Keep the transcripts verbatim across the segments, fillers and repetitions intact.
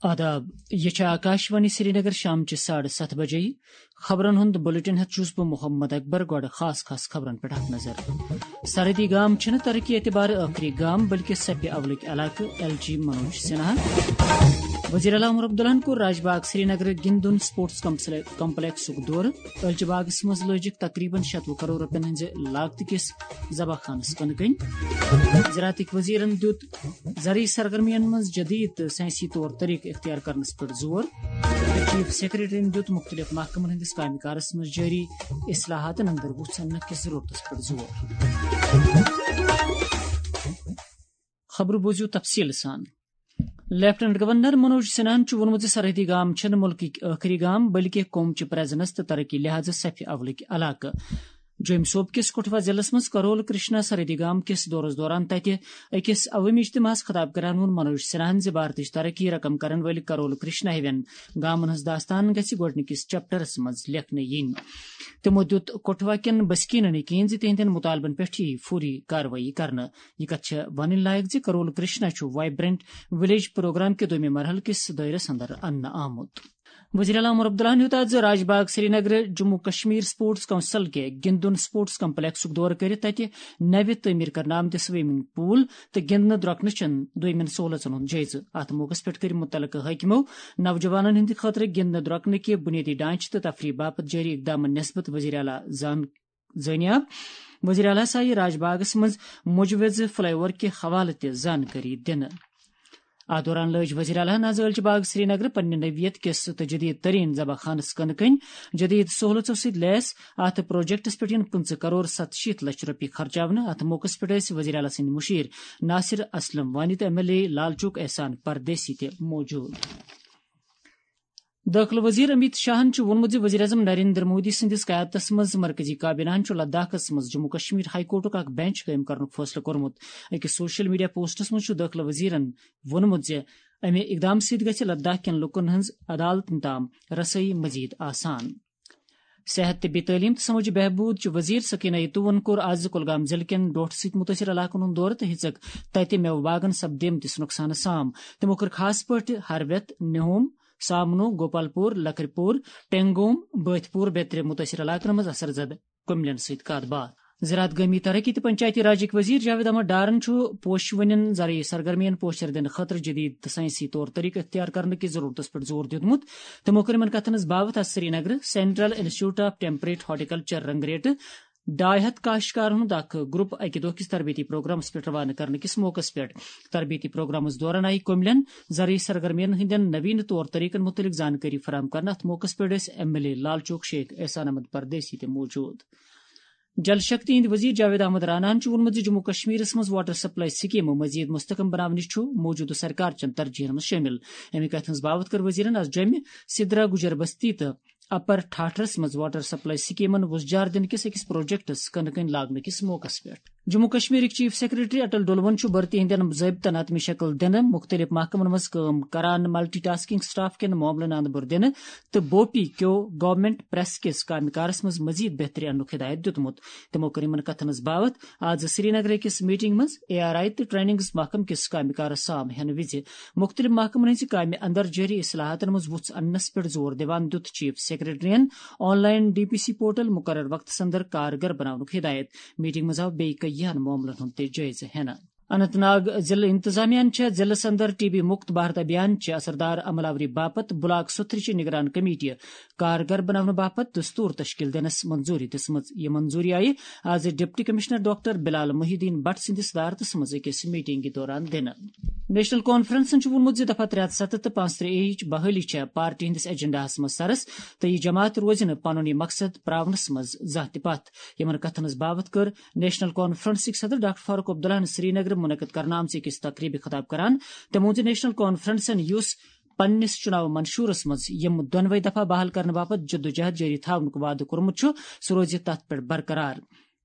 آداب، یہِ چھِ آکاشوانی سرینگر، شامچہِ ساڑٕ ستھ بجے۔ خبرن ہُنٛد بلیٹن ہٮ۪تھ چھُس بہٕ محمد اکبر۔ گۄڈٕ خاص خاص خبرن پٮ۪ٹھ اکھ نظر۔ سرحدی گام چھِنہٕ ترقی اعتبارٕ ٲخری گام، بلکہِ صفہِ اولٕکۍ علاقہٕ، ایل جی منوج سنہا۔ وزیر اعلیٰ عمر عبداللہن کوٚر راج باغ سرینگرٕ گِنٛدُن سپورٹس کمپسلے-، کمپلیکسُک دورٕ۔ ٲلچہِ باغس منٛز لٲجِکھ تقریباً شیٚتوُہ کرور رۄپین ہٕنٛزِ لاگتہٕ کِس ذبح خانس کٕنہٕ کٔنۍ۔ زراعتٕکۍ وزیرن دیُت زرعی سرگرمین منٛز جدید تہٕ سائنسی طور طریقہٕ اختیار کرنس پٮ۪ٹھ زور۔ چیف سیکرٹریَن دیُت مُختٔلِف محکمن ہٕنٛدِس کامہِ کارس منٛز جٲری اصلاحاتن اندر وُژھ اننہٕ کِس ضروٗرتس پٮ۪ٹھ زور۔ خبرٕ بوٗزِو تفصیٖل سان۔ لیفٹیننٹ گورنر منوج سنہاہن چھُ ووٚنمُت زِ سرحدی گام چھِنہٕ مُلکٕکۍ ٲخری گام، بلکہِ قوم چہِ پریزنس تہٕ ترقی لحاظہٕ صفہِ اولٕکۍ علاقہٕ۔ جوٚمۍ صوبہٕ کِس کٹھوا ضلعس منٛز کرول کرشنا سرحدی گام کِس دورس دوران تتہِ أکِس عوٲمی اجتماعس خطاب کران ووٚن منوج سنہاہن زِ بھارتٕچ ترقی رقم کرن وٲلۍ کرول کرشنا ہِوٮ۪ن گامن ہٕنٛز داستان گژھِ گۄڈٕنِکِس چیپٹرس منٛز لیکھنہٕ یِنۍ۔ تِمو دیُت کٹھوا کٮ۪ن بسکیٖنن یقین زِ تِہنٛدٮ۪ن مطالبن پٮ۪ٹھ یِیہِ فوری کاروٲیی کرنہٕ۔ یہِ کتھ چھےٚ ونٕنۍ لایق زِ کرول کرشنا چھُ وائبرنٹ ولیج پروگرام کہِ دوٚیمہِ مرحلہٕ کِس دٲیرس اندر اننہٕ آمُت۔ وزیر اعلیٰ عمر عبداللہن ہیوٚت آز راج باغ سرینگر جموں کشمیر سپورٹس کونسل کہِ گِنٛدُن سپورٹس کمپلیکسُک دورٕ کٔرِتھ تتہِ نوِ تعمیٖر کرنہٕ آمتہِ سوئمنگ پول تہٕ گِنٛدنہٕ درۄکنہٕ چٮ۪ن دوٚیمٮ۪ن سہولژن ہُنٛد جٲیزٕ۔ اتھ موقعس پٮ۪ٹھ کٔرۍ مُتعلقہٕ حٲکمو نوجوانن ہٕنٛدِ خٲطرٕ گِنٛدنہٕ درۄکنہٕ کہِ بُنیٲدی ڈھانچہٕ تہٕ تفریح باپتھ جٲری اقدامن نسبت وزیر اعلیٰ زان-، زٲنیاب۔ وزیر اعلیٰ آیہِ راج باغس منٛز مُجوِزٕ فلائی اوور کہِ حوالہٕ تہِ زانکٲری دِنہٕ۔ اتھ دوران لٲج وزیر اعلیٰ ہن آز ٲلچہِ باغ سرینگرٕ پننہِ نوعیت کِس تہٕ جدید ترین ذبح خانس کٕنہٕ کٔنۍ۔ جدید سہولژو سۭتۍ لیس اتھ پروجیکٹس پٮ۪ٹھ یِن پٕنٛژٕہ کرور ستہٕ شیٖتھ لچھ رۄپیہِ خرچاونہٕ۔ اتھ موقعس پٮ۪ٹھ ٲسۍ وزیر اعلیٰ سٕنٛدۍ مُشیر ناصر اسلم وانی تہٕ M L A Lal Chowk احسان پردیسی تہِ موجود۔ دٲخلہٕ وزیر امیت شاہن چھُ ووٚنمُت زِ وزیر اعظم نریندر مودی سٕنٛدِس قیادتس منٛز مرکزی کابینہن چھُ لداخس منٛز جموں کشمیر ہائی کورٹُک اکھ بینچ قٲیِم کرنُک فٲصلہٕ کوٚرمُت۔ أکِس سوشل میڈیا پوسٹس منٛز چھُ دٲخلہٕ وزیرن ووٚنمُت زِ امہِ اقدام سۭتۍ گژھِ لداخ کٮ۪ن لوٗکن ہٕنٛز عدالتن تام رسٲیی مزید آسان۔ صحت، طبی تعلیم تہٕ سمٲجی بہبود چہِ وزیر سکینہ یتوون کوٚر آز کُلگام ضلعہٕ کٮ۪ن ڈوٹھٕ سۭتۍ مُتٲثر علاقن ہُنٛد دورٕ تہٕ ہیٚژٕکھ تتہِ مٮ۪وٕ باغن سپدیمتِس نۄقصانس سام۔ تِمو کٔر خاص پٲٹھۍ ہرویت، نِہوم، سامنو، گوپال پور، لکھرِ پور، ٹینگوم، بٲتھ پور بیترِ مُتٲثر علاقن منٛز اثر زدٕ کُملٮ۪ن سۭتۍ کتھ باتھ۔ زراعت، گٲمی ترقی تہٕ پنچایتی راجٕکۍ وزیر جاوید احمد ڈارن چھُ پوشہٕ وٕنٮ۪ن زرعی سرگرمین پوچھر دِنہٕ خٲطرٕ جدید تہٕ سائنسی طور طریقہٕ اختیار کرنہٕ کِس ضرورتس پٮ۪ٹھ زور دیُتمُت۔ تِمو کٔر یِمن کتھن ہٕنٛز باوتھ آز سرینگرٕ central institute of temperate horticulture رنگریٹہٕ ڈاے ہتھ کاشتکارن ہُنٛد اکھ گروپ اکہِ دۄہ کِس تربیتی پروگرامس پٮ۪ٹھ روانہٕ کرنہٕ کِس موقعس پٮ۪ٹھ۔ تربیتی پروگرامس دوران آیہِ کُملٮ۪ن زرعی سرگرمین ہٕنٛدٮ۪ن نویٖن طور طریقن مُتعلق زانکٲری فراہم کرنہٕ۔ اتھ موقعس پٮ۪ٹھ ٲسۍ M L A Lal Chowk Sheikh احسان احمد پردیسی تہِ موجود۔ جل شکتی ہٕنٛدۍ وزیر جاوید احمد راناہن چھُ ووٚنمُت زِ جموں کشمیرس منٛز واٹر سپلائی سکیمہٕ مزید مستحکم بناونٕچ چھُ موجودٕ سرکار چٮ۪ن ترجیحن منٛز شٲمِل۔ اَمہِ کتھِ ہٕنٛز باوتھ کٔر وزیرن از جوٚمہِ سدرہ گجر بستی تہٕ اپر ٹھاٹھرس منٛز واٹر سپلائی سکیمن وُژھ جار دِنہٕ کِس أکِس پروجیکٹس کٕنہٕ کٔنۍ لاگنہٕ کِس موقعس پٮ۪ٹھ۔ جموں کشمیرٕکۍ چیف سیکرٹری اٹل ڈولون چھُ بھرتی ہٕنٛدٮ۪ن ضٲبطن حتمی شکل دِنہٕ، مُختٔلِف محکمن منٛز کٲم کران، ملٹی ٹاسکنگ سٹاف کٮ۪ن معاملن اندٕ بُر دِنہٕ تہٕ بوپی کیو گورنمنٹ پریس کِس کامہِ کارس منٛز مزید بہتری اننُک ہدایت دِیُتمُت۔ تِمو کٔر یِمن کتھن ہٕنٛز باوتھ آز سرینگرٕ أکِس میٹنگ منٛز اے آر آئی تہٕ ٹریننگز محکمہٕ کِس کامہِ کارس سام ہٮ۪نہٕ وِزِ۔ مُختٔلِف محکمن ہٕنٛزِ کامہِ اندر جٲری اصلاحاتن منٛز وُژھ اننس پٮ۪ٹھ زور دِوان دیُت چیف سیکرٹریَن online D P C portal مقرر وقتس اندر کارگر بناونُک ہدایت۔ میٹنگ منٛز آو بیٚیہِ کینٛہَن معاملن ہُنٛد تہِ جٲیزٕ ہٮ۪نہٕ۔ اننت ناگ ضلع انتظامیہ ہن چھےٚ ضلعس اندر ٹی بی مُکت بھارت ابھیان چہِ اثردار عمل آوری باپتھ بلاک ستھرِ چہِ نگران کمیٹی کارگر بناونہٕ باپتھ دستور تشکیل دِنس منظوری دِژمٕژ۔ یہِ منظوری آیہِ آز ڈپٹی کمشنر ڈاکٹر بلال محی الدین بٹ سٕنٛدِس صدارتس منٛز أکِس میٹنگہِ دوران دِنہٕ۔ نیشنل کانفرنسن چھُ ووٚنمُت زِ دفعہ ترٛےٚ ہتھ ستتھ تہٕ پانٛژترٛہہ اے یِچ بحٲلی چھےٚ پارٹی ہٕنٛدِس ایجنڈاہس منٛز سرس تہٕ یہِ جماعت روزِ نہٕ پنُن یہِ مقصد پراونس منٛز زانٛہہ تہِ پتھ۔ یِمن کتھن ہٕنٛز باوتھ کٔر نیشنل کانفرنسٕکۍ صدر ڈاکٹر فاروق عبداللہن سرینگرٕ منعقد کرنہٕ آمژِ أکِس تقریبہِ خطاب کران۔ تٔمۍ ووٚن زِ نیشنل کانفرنسن یُس پننِس چُناو منشورس منٛز یِم دۄنوے دفعہ بحال کرنہٕ باپتھ جدوجہد جٲری تھاونُک وعدٕ کوٚرمُت چھُ، سُہ روزِ تتھ پٮ۪ٹھ برقرار۔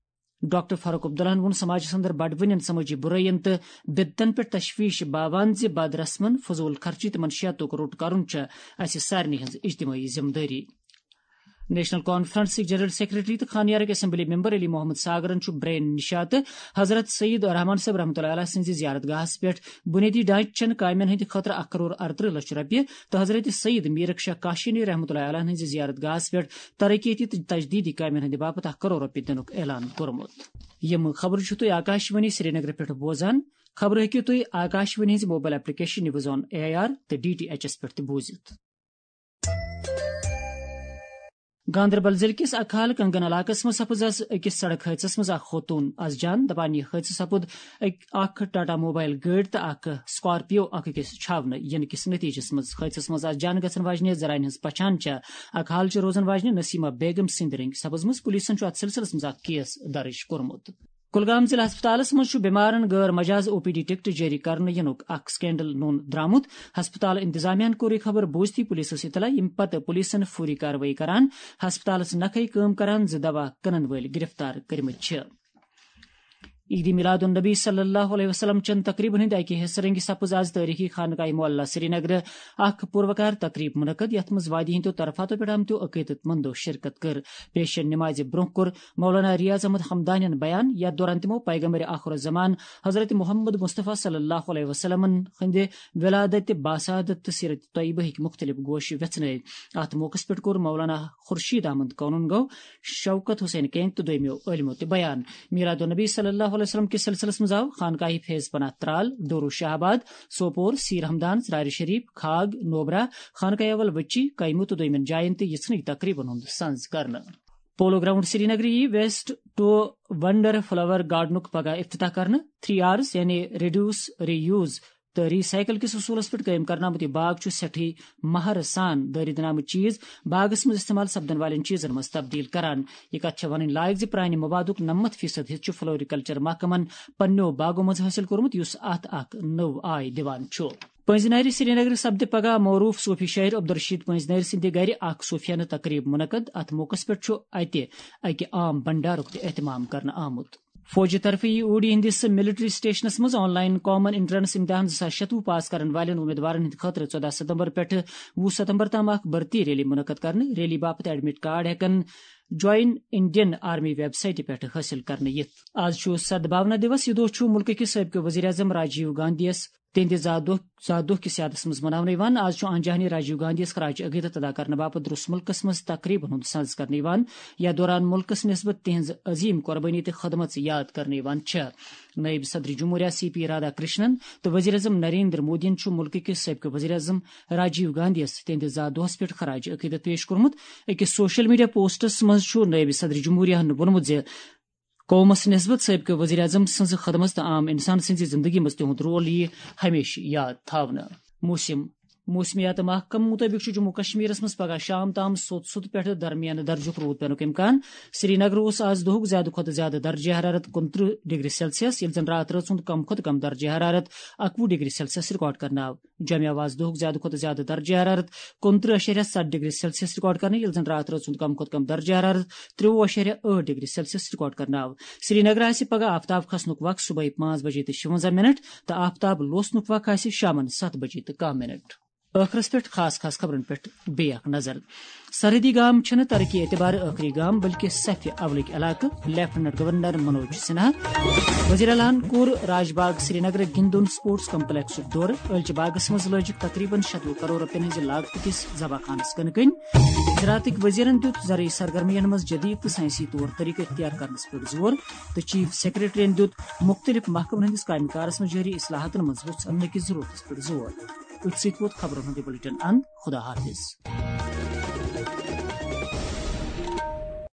ڈاکٹر فاروق عبداللہن ووٚن سماجس اندر بڑوٕنٮ۪ن سمٲجی برٲیین تہٕ بدعتن پٮ۪ٹھ تشویش باوان زِ بد رسمن، فضول خرچی تہٕ منشیاتُک روٚٹ کرُن چھےٚ اسہِ سارنٕے ہٕنٛز اجتمٲعی ذمہٕ دٲری۔ نیشنل کانفرنسٕکۍ جنرل سیکرٹری تہٕ خانیارٕکۍ اسمبلی ممبر علی محمد ساگرن چھُ برین نشا تہٕ حضرت سید رحمان صٲب رحمتہ اللہ علیہ سٕنٛزِ زیارت گاہس پٮ۪ٹھ بُنیٲدی ڈھانچہٕ چٮ۪ن کامٮ۪ن ہٕنٛدِ خٲطرٕ اکھ کرور ارترٕہ لچھ رۄپیہِ تہٕ حضرت سید میرک شاہ کاشانی رحمتہ اللہ علیہ ہٕنٛزِ زیارت گاہس پٮ۪ٹھ ترقیتی تہٕ تجدیدی کامٮ۪ن ہٕنٛدِ باپتھ اکھ کرور رۄپیہِ دِنُک اعلان کوٚرمُت۔ یِم خبرٕ چھِو تُہۍ آکاشوانی سرینگرٕ پٮ۪ٹھ بوزان۔ خبرٕ ہیٚکِو تُہۍ آکاشوانی ہٕنٛزِ mobile application news on A I R تہٕ ڈی ٹی ایچ ایس پٮ۪ٹھ تہِ بوٗزِتھ۔ گاندربل ضلعہٕ کِس اکھال کنگن علاقس منٛز سپُز از أکِس سڑک حٲدثس منٛز اکھ خوتوٗن از جان۔ دپان، یہِ حٲدثہٕ سپُد أکۍ، اکھ ٹاٹا موبایل گٲڑۍ تہٕ اکھ سکارپیو اکھ أکِس چھاونہٕ یِنہٕ کِس نتیجس منٛز۔ حٲدثس منٛز از جان گژھن واجنہِ زنانہِ ہٕنٛز پہچان چھےٚ اکھال چہِ روزن واجنہِ نسیمہ بیگم سٕنٛدِ رنگہِ سپٕزمٕژ۔ پُلیٖسن چھُ اتھ سلسلس منٛز اکھ کیس درج کوٚرمُت۔ کُلگام ضلع ہسپتالس منٛز چھُ بیمارن غٲر مجاز او پی ڈی ٹکٹ جٲری کرنہٕ یِنُک اکھ سکینڈل نوٚن درامُت۔ ہسپتال انتظامیہ ہن کوٚر یہِ خبر بوٗزتھٕے پُلیٖسس اطلاع، ییٚمہِ پتہٕ پُلیٖسن فوری کاروٲیی کران ہسپتالس نکھے کٲم کران زٕ دوا کٕنن وٲلۍ گرفتار کٔرمٕتۍ چھِ۔ عید میلاد النبی صلی اللہ علیہ وسلم چن تقریبن ہٕنٛدِ اکہِ حصہٕ رنگہِ سپٕز از تٲریخی خانقاہ معلیٰ سرینگرٕ اکھ پُروقار تقریب منعقد، یتھ منٛز وادی ہٕنٛدیو طرفاتو پٮ۪ٹھ آمتیو عقیدت مندو شرکت کٔر۔ پیشن نمازِ برونٛہہ کوٚر مولانا ریاض احمد حمدانین بیان، یتھ دوران تِمو پیغمبر آخر الزمان حضرت محمد مصطفیٰ صلی اللہ علیہ وسلمن ہٕنٛدِ ولادت، باسعادت تہٕ سیرت طیبہ ہٕکۍ مُختٔلِف گوش ویژھنٲوۍ۔ اتھ موقعس پٮ۪ٹھ کوٚر مولانا خورشید احمد کونن گو، شوکت حسین کینگ تہٕ دوٚیمٮ۪و عٲلمو تہِ بیان۔ میلاد النبی صلی اللہ علیہ وسلم کِس سلسلس منٛز آو خانقاہی فیض پناہ ترال، ڈورو شاہ آباد، سوپور، سیر ہمدان، ژرارِ شریف، کھاگ، نوبرا، خانقاہ اول وچی، کیمو تہٕ دوٚیمٮ۪ن جاین تہِ یِژھنٕے تقریبن ہُنٛد سنز کرنہٕ۔ پولو گراؤنڈ سرینگرٕ یی ویسٹ ٹو ونڈر فلاور گارڈنُک پگاہ افتتاح کرنہٕ۔ تھری آرز یعنی ریڈیوس، ری یوز تہٕ ری سائیکل کِس اصوٗلس پٮ۪ٹھ قٲیِم کرنہٕ آمُت یہِ باغ چھُ سٮ۪ٹھٕے مہر سان دٲرِتھ دِنہٕ آمٕتۍ چیٖز باغس منٛز استعمال سپدن والٮ۪ن چیٖزن منٛز تبدیل کران۔ یہِ کتھ چھےٚ ونٕنۍ لایق زِ پرانہِ موادُک نَمَتھ فیصد حصہٕ چھُ فلوریکلچر محکمن پننیو باغو منٛز حٲصِل کوٚرمُت، یُس اتھ اکھ نٔو آے دِوان چھُ۔ پٔنزۍ نارِ سرینگرٕ سپدِ پگاہ معروف صوفی شٲعر عبدالرشید پٔنزۍ نارِ سٕنٛدِ گرِ اکھ صوفیانہٕ تقریب منعقد۔ اتھ موقعس پٮ۪ٹھ چھُ اتہِ اکہِ عام بنڈارُک تہِ اہتمام کرنہٕ آمُت۔ فوجہِ طرفہٕ یی اوڈی ہٕنٛدِس ملٹری سٹیشنس منٛز آن لائن کامن انٹرنس امتحان زٕ ساس شتوُہ پاس کرن والٮ۪ن امیدوارن ہٕنٛدِ خٲطرٕ ژۄدہ ستمبر پٮ۪ٹھٕ وُہ ستمبر تام اکھ بھرتی ریلی منعقد کرنہٕ۔ ریلی باپتھ ایڈمٹ کارڈ ہٮ۪کن جوائن انڈین آرمی ویب سائٹہِ پٮ۪ٹھ حٲصِل کرنہٕ یِتھ۔ آز چھُ سدبھاونا دیوس۔ یہِ دۄہ چھُ مُلکہٕ کِس سٲبقہٕ وزیر اعظم راجیو گاندھیَس تِہنٛدِ زا دۄہ، زا دۄہ کِس یادس منٛز مناونہٕ یِوان۔ آز چھُ آنجہانی راجیو گاندھیَس خراج عقیدت ادا کرنہٕ باپتھ درس مُلکس منٛز تقریبن ہُنٛد سنز کرنہٕ یِوان۔ یتھ دوران مُلکس نسبت تِہنٛز عظیم قربٲنی تہٕ خدمژ یاد کرنہٕ یِوان چھےٚ۔ نٲیِب صدر جمہوریہ سی پی رادھا کرشنن تہٕ وزیر اعظم نریندر مودیَن چھُ مُلکہٕ کِس سٲبقہٕ وزیر اعظم راجیو گاندھیَس تِہنٛدِ زا دۄہس پٮ۪ٹھ خراج عقیدت پیش کوٚرمُت۔ أکِس سوشل میڈیا پوسٹس منٛز چھُ نٲیِب صدر جمہوریہ ہن ووٚنمُت زِ قومس نسبت سٲبقہٕ وزیر اعظم سٕنٛز خدمت تہٕ عام انسان سٕنٛزِ زندگی منٛز تِہُنٛد رول یِیہِ ہمیشہٕ یاد تھاونہٕ۔ موسم۔ موسمیات محکمہٕ مُطٲبِق چھُ جموں کشمیرس منٛز پگاہ شام تام سوٚت سوٚت پٮ۪ٹھٕ درمیانہٕ درجُک روٗد پینُک امکان۔ سرینگر اوس آز دۄہُک زیادٕ کھۄتہٕ زیادٕ درجہ حرارت کُنترٕہ ڈگری سیلسیس، ییٚلہِ زن راتہٕ رٲژ ہُنٛد کم کھۄتہٕ کم درجہ حرارت اکوُہ ڈگری سیلسیس ریکارڈ کرنہٕ آو۔ جامعہ آواز دۄہُک زیادٕ کھۄتہٕ زیادٕ درجہ حرارت کُنترٕہ اَشاریہ ستھ ڈگری سیلسیس ریکارڈ کرنہٕ، ییٚلہِ زن راتہٕ رٲژ ہُنٛد کم کھۄتہٕ کم درجہ حرارت ترٛوٚوُہ اَشاریہ ٲٹھ ڈگری سیلسیس ریکارڈ کرنہٕ آو۔ سرینگر آسہِ پگاہ آفتاب کھسنُک وق صبحٲے پانٛژھ بجے تہٕ شُوَنزاہ منٹ تہٕ آفتاب لوسنُک وق آسہِ شامن ستھ بجے تہٕ کاہ منٹ۔ ٲخرس پٮ۪ٹھ خاص خاص خبرن پٮ۪ٹھ بیٚیہِ اکھ نظر۔ سرحدی گام چھِنہٕ ترقی اعتبارٕ ٲخری گام، بلکہِ صفہِ اولٕکۍ علاقہٕ، لیفٹیننٹ گورنر منوج سنہا۔ وزیر اعلیٰ ہن کوٚر راج باغ سرینگرٕ گِندُن سپورٹس کمپلیکسُک دورٕ۔ ٲلچہِ باغس منٛز لٲجِکھ تقریباً شتوُہ کرور رۄپین ہٕنٛزِ لاگتہٕ کِس زبہ خانس کٕنہٕ کٔنۍ۔ زراعتٕکۍ وزیرن دیُت زرعی سرگرمین منٛز جدید تہٕ سائنسی طور طریقہٕ اختیار کرنس پٮ۪ٹھ زور تہٕ چیف سیکرٹریَن دیُت مُختٔلِف محکمن ہٕنٛدِس کامہِ کارس منٛز جٲری اصلاحاتن منٛز وُژھ اننہٕ کِس ضرورتس پٮ۪ٹھ زور۔ أتھۍ سۭتۍ ووت خبرن ہُنٛد یہِ بلیٹن اند۔ خدا حافظ۔